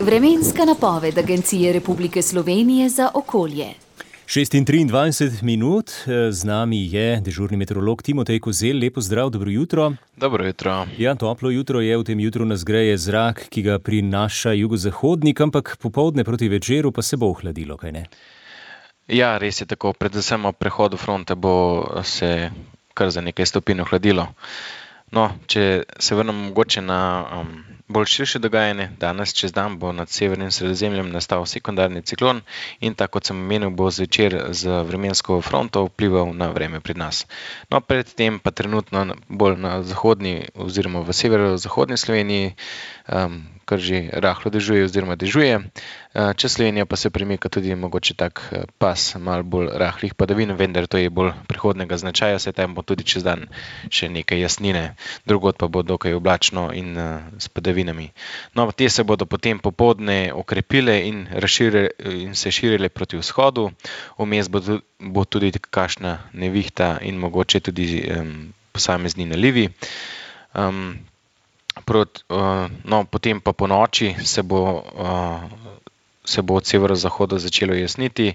Vremenska napoved Agencije Republike Slovenije za okolje. 6:23 minut, z nami je dežurni meteorolog Timotej Kozelj. Lepo zdrav, dobro jutro. Dobro jutro. Ja, toplo jutro je, v tem jutru nas greje zrak, ki ga prinaša jugozahodnik, ampak popoldne proti večeru pa se bo ohladilo, kaj ne? Ja, res je tako. Predvsem ob prehodu fronte bo se kar za nekaj stopinj ohladilo. No, če se vrnem mogoče na bolj širše dogajanje, danes čez dan bo nad severnim Sredozemljem nastal sekundarni ciklon in tako kot sem omenil, bo zvečer z vremensko fronto vplival na vreme pri nas. No, predtem pa trenutno bolj na zahodni oziroma v severozahodni Sloveniji, kar že rahlo dežuje oziroma dežuje. Čez Slovenijo pa se premika tudi mogoče tak pas malo bolj rahlih padavin, vendar to je bolj prihodnega značaja, saj tam bo tudi čez dan še nekaj jasnine, drugod pa bo dokaj oblačno in s padavinami. No, te se bodo potem popoldne okrepile in se širile proti vzhodu, vmes bo tudi kakšna nevihta in mogoče tudi posamezni nalivi. Potem pa po noči se bo od severozahoda začelo jasniti,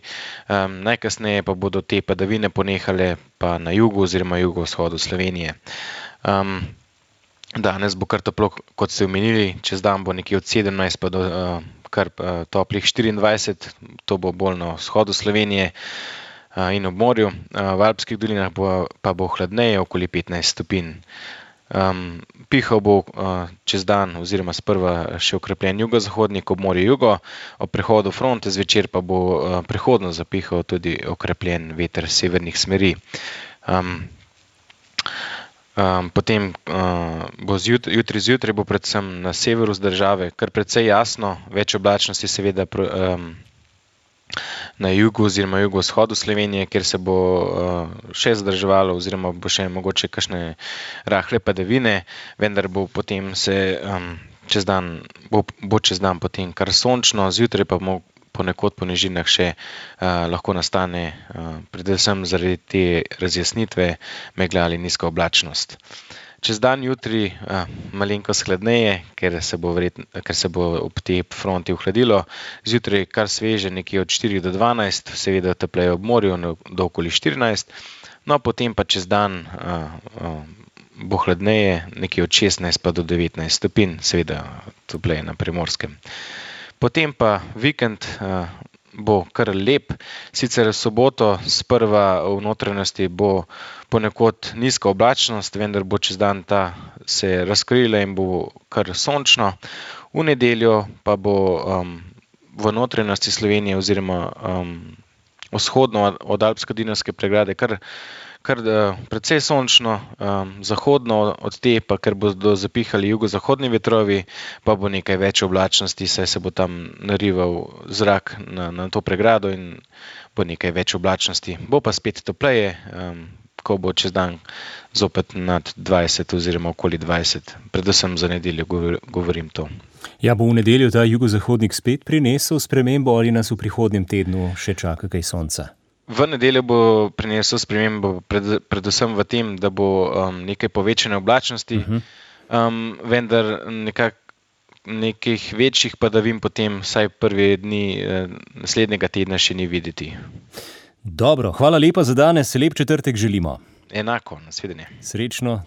najkasneje pa bodo te padavine ponehale pa na jugu oziroma jugovzhodu Slovenije. Danes bo kar toplo, kot ste omenili, čez dan bo nekje od 17 pa do kar toplih 24, to bo bolj na vzhodu Slovenije in ob morju, v alpskih dolinah pa bo hladneje, okoli 15 stopinj. Pihal bo čez dan oziroma sprva še okrepljen jugozahodnik, ob morju jugo, ob prehodu fronte zvečer pa bo prehodno zapihal tudi okrepljen veter severnih smeri. Potem bo jutri zjutraj bo predvsem na severu z države kar precej jasno, več oblačnosti seveda na jugu oziroma jugovzhodu Slovenije, kjer se bo še zadrževalo oziroma bo še mogoče kakšne rahle padavine, vendar bo potem čez dan potem kar sončno, zjutraj pa ponekod po nižinah še lahko nastane predvsem zaradi te razjasnitve megla ali nizka oblačnost. Čez dan jutri malenkost hladneje, ker se bo ob tej fronti ohladilo, zjutraj kar sveže, nekje od 4 do 12, seveda topleje ob morju do okoli 14, no potem pa čez dan bo hladneje, nekje od 16 pa do 19 stopinj, seveda topleje na Primorskem. Potem pa vikend bo kar lep, sicer v soboto sprva v notranjosti bo ponekod nizka oblačnost, vendar bo čez dan ta se razkrila in bo kar sončno. V nedeljo pa bo v notranjosti Slovenije oziroma vzhodno od Alpsko-Dinarske pregrade kar precej sončno, zahodno od te pa, ker bodo zapihali jugozahodni vetrovi, pa bo nekaj več oblačnosti, saj se bo tam narival zrak na to pregrado in bo nekaj več oblačnosti. Bo pa spet topleje, ko bo čez dan zopet nad 20 oziroma okoli 20, predvsem za nedeljo govorim to. Ja, bo v nedeljo ta jugozahodnik spet prinesel spremembo ali nas v prihodnjem tednu še čaka kaj sonca? V nedeljo bo prinesel spremembo predvsem v tem, da bo nekaj povečane oblačnosti, vendar nekih večjih padavin potem vsaj prve dni naslednjega tedna še ni videti. Dobro, hvala lepa za danes, lep četrtek želimo. Enako, nasvidenje. Srečno.